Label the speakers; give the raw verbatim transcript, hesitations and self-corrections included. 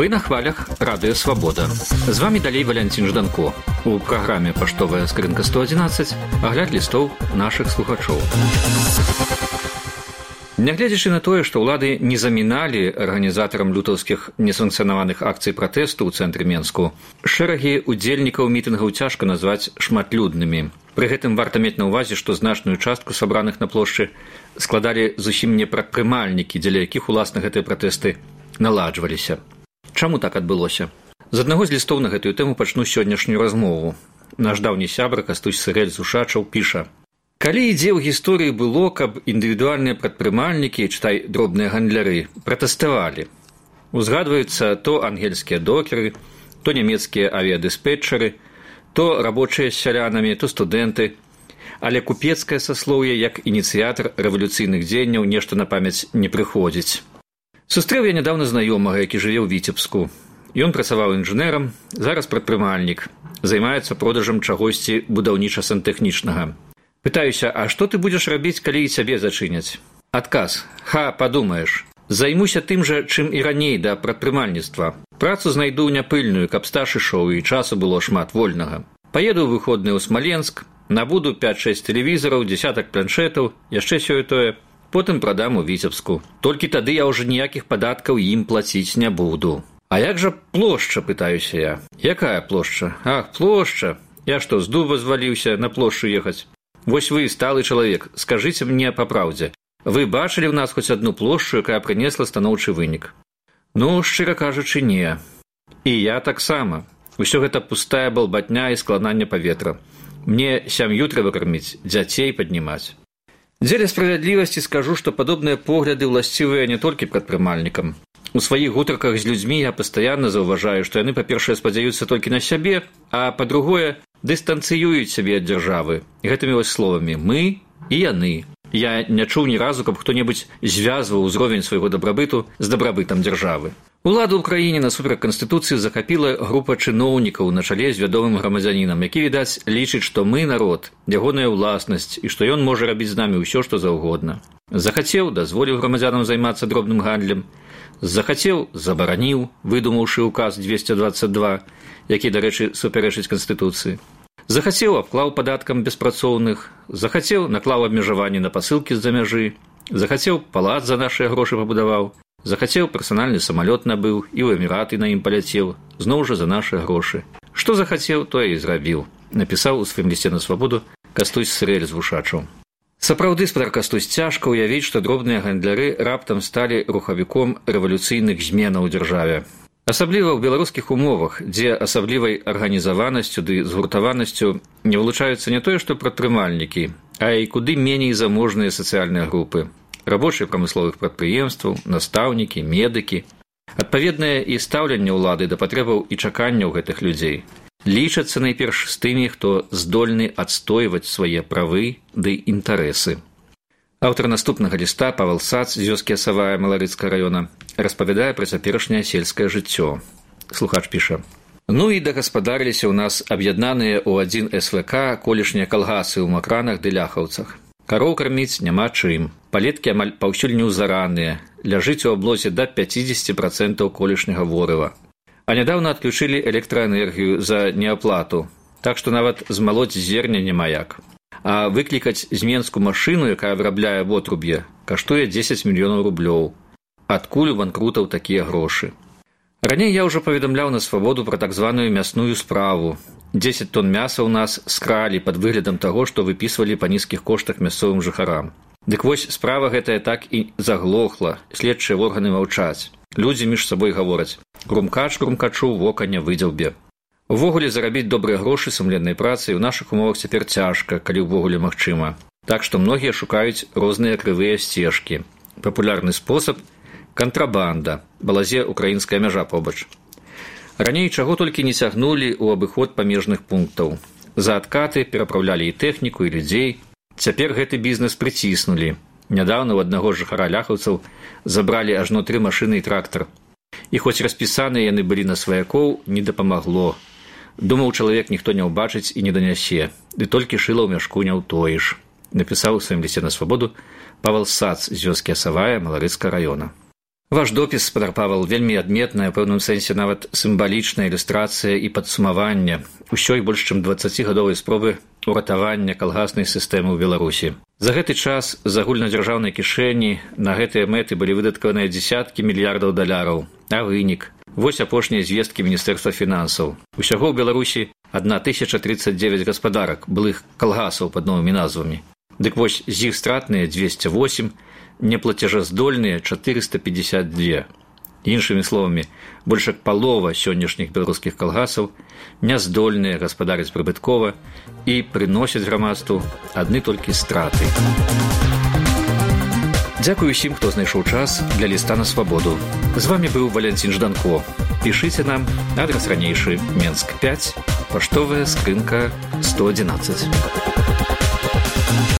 Speaker 1: Вы на хвалях Радыё Свабода. З вами далей Валянцін Жданко. У праграме «Паштовая скрынка сто адзінаццаць» агляд лістоў нашых слухачоў. Нягледзячы на тое, што ўлады не заміналі арганізатарам лютаўскіх несанкцыянаваных акцый пратэсту ў цэнтры Менску, шэрагі удзельнікаў мітынгаў цяжка назваць шматлюднымі. Пры гэтым варта мець на ўвазе, што значную частку сабраных на плошчы складалі зусім не прадпрымальнікі, дзеля якіх уласна гэтыя пратэсты наладжваліся. Чаму так адбылося? З аднаго з лістоў на гэтую тэму пачну сённяшнюю размову. Наш даўні сябра Кастусь Сырэль з Ушачаў піша: «Калі ідзе ў гісторыі было, каб індывідуальныя прадпрымальнікі, чытай, дробныя гандляры, пратэставалі. Узгадваюцца то ангельскія докеры, то нямецкія авіядыспетчары, то рабочыя з сялянамі, то студэнты. Але купецкае саслоўе, як ініцыятар рэвалюцыйных дзеянняў, нешта на памяць не прыходзіць. Сустрэў я нядаўна знаёмага, які жыве ў Віцебску. Ён працаваў інжынерам, зараз прадпрымальнік, займаецца продажам чагосьці будаўніча-сантэхнічнага. Пытаюся, а што ты будзеш рабіць, калі і цябе зачыняць? Адказ: ха, падумаеш. Займуся тым жа, чым і раней да прадпрымальніцтва. Працу знайду няпыльную, каб стаж ішоў і часу было шмат вольнага. Паеду ў выходныя ў Смаленск, набуду пяць-шэсць тэлевізараў, дзясятак планшэтаў, яшчэ сёе-тое. Потым прадам у Віцебску. Толькі тады я ўжо ніякіх падаткаў ім плаціць не буду. А як жа плошча, пытаюся я. Якая плошча? Ах, плошча. Я што, з дуба зваліўся на плошчу ехаць? Вось вы, сталы чалавек, скажыце мне па праўдзе. Вы бачылі ў нас хоць адну плошчу, якая прынесла станоўчы вынік? Ну, шчыра кажучы, не. І я таксама. Усё гэта пустая балбатня і складанне паветра. Мне сям'ю трэба карміць, дзяцей паднімаць. Дзеля справядлівасці скажу, што падобныя погляды ўласцівыя не толькі прадпрымальнікам. У сваіх гутарках з людзьмі я пастаянна заўважаю, што яны, па-першае, спадзяюцца толькі на сябе, а па-другое, дыстанцыююць сябе ад дзяржавы. Гэтымі вось словамі «мы» і «яны». Я не чуў ні разу, каб хто-небудзь звязваў узровень свайго дабрабыту з дабрабытам дзяржавы. Уладу ў краіне насуперак канстытуцыі захапіла група чыноўнікаў на чале з вядомым грамадзянінам, які, відаць, лічыць, што мы народ, ягоная ўласнасць і што ён можа рабіць з намі ўсё, што заўгодна. Захацеў, дазволіў грамадзянам займацца дробным гандлем. Захацеў, забараніў, выдумаўшы ўказ двесце дваццаць два, які, дарэчы, супярэчыць канстытуцыі. Захацеў, абклаў падаткам беспрацоўных. Захацеў, наклаў абмежаванні на пасылкі з-за мяжы. Захацеў, палац за нашыя грошы пабудаваў. Захацеў, персанальны самалёт набыў і ў Эміраты на ім паляцеў, зноў жа за нашыя грошы. Што захацеў, тое і зрабіў, напісаў у сваім лісце на свабоду Кастусь Сырэль з Ушачаў. Сапраўды, спадар Кастусь, цяжка ўявіць, што дробныя гандляры раптам сталі рухавіком рэвалюцыйных зменаў у дзяржаве. Асабліва ў беларускіх умовах, дзе асаблівай арганізаванасцю ды згуртаванасцю не вылучаюцца не тое, што прадпрымальнікі, а і куды меней заможныя сацыяльныя групы. Рабочыя прамысловых прадпрыемстваў, настаўнікі, медыкі. Адпаведнае і стаўленне ўлады да патрэбаў і чаканняў гэтых людзей. Лічацца найперш з тымі, хто здольны адстойваць свае правы ды інтарэсы. Аўтар наступнага ліста, Павел Сац з вёскі Асавая Маларыцкага раёна, распавядае пра цяперашняе сельскае жыццё. Слухач піша: «Ну і дагаспадарыліся ў нас аб'яднаныя ў адзін эс вэ ка колішнія калгасы ў макранах ды ляхаўцах. Кароў карміць няма чым. Палеткі амаль паўсюль неўзараныя, ляжыць у аблозе да пяцідзесяці працэнтаў колішняга ворыва. А нядаўна адключылі электраэнергію за неаплату, так што нават змалоць зерня няма як. А выклікаць з Менску машыну, якая вырабляе вотруб'е, каштуе дзесяць мільёнаў рублёў. Адкуль у банкрутаў такія грошы? Раней я ўжо паведамляў на свабоду пра так званую мясную справу. дзесяць тонн мяса ў нас скралі пад выглядам таго, што выпісвалі па нізкіх коштах мясцовым жыхарам. Дык вось, справа гэтая так і заглохла, следчыя органы маўчаць. Людзі між сабой гавораць: грумкач грумкачу вока не выдзяўбе. Увогуле зарабіць добрыя грошы сумленнай працай у нашых умовах цяпер цяжка, калі ўвогуле магчыма. Так што многія шукаюць розныя крывыя сцежкі. Папулярны спосаб – кантрабанда, балазе украінская мяжа побач. Раней чаго толькі не цягнулі ў абыход памежных пунктаў. За адкаты перапраўлялі і тэхніку, і людзей. Цяпер гэты бізнес прыціснулі. Нядаўна ў аднаго жыхара ляхаўцаў забралі ажно тры машыны і трактар. І хоць распісаныя яны былі на сваякоў, не дапамагло. Думаў, чалавек ніхто не ўбачыць і не данясе, ды толькі шыла ў мяшку не ўтоіш. Напісаў у сваім лісце на свабоду Павел Сац з вёскі Асавая Маларыцкага раёна. Ваш допіс, спадар Павел, вельмі адметная, у пэўным сэнсе нават сімвалічная ілюстрацыя і падсумавання ўсёй больш чым дваццацігадовай спробы уратавання калгаснай сістэмы ў Беларусі. За гэты час з агульнадзяржаўнай кішэні на гэтыя мэты былі выдаткаваныя дзесяткі мільярдаў даляраў, а вынік – вось апошнія звесткі Міністэрства фінансаў. Усяго ў Беларусі адна тысяча тридцать девять гаспадарак, былых калгасаў пад новымі назвамі. Дык вось з іх стратныя двести восемь, неплацежаздольныя четыреста пятьдесят два. Іншымі словамі, больш як палова сённяшніх беларускіх калгасаў няздольныя гаспадарыць прыбыткова і прыносяць грамадству адны толькі страты. Дзякую усім, хто знайшоў час для ліста на свабоду. З вами быў Валянцін Жданко. Пішыце нам, адрас ранейшы, Менск пять, паштовая скрынка сто одиннадцать.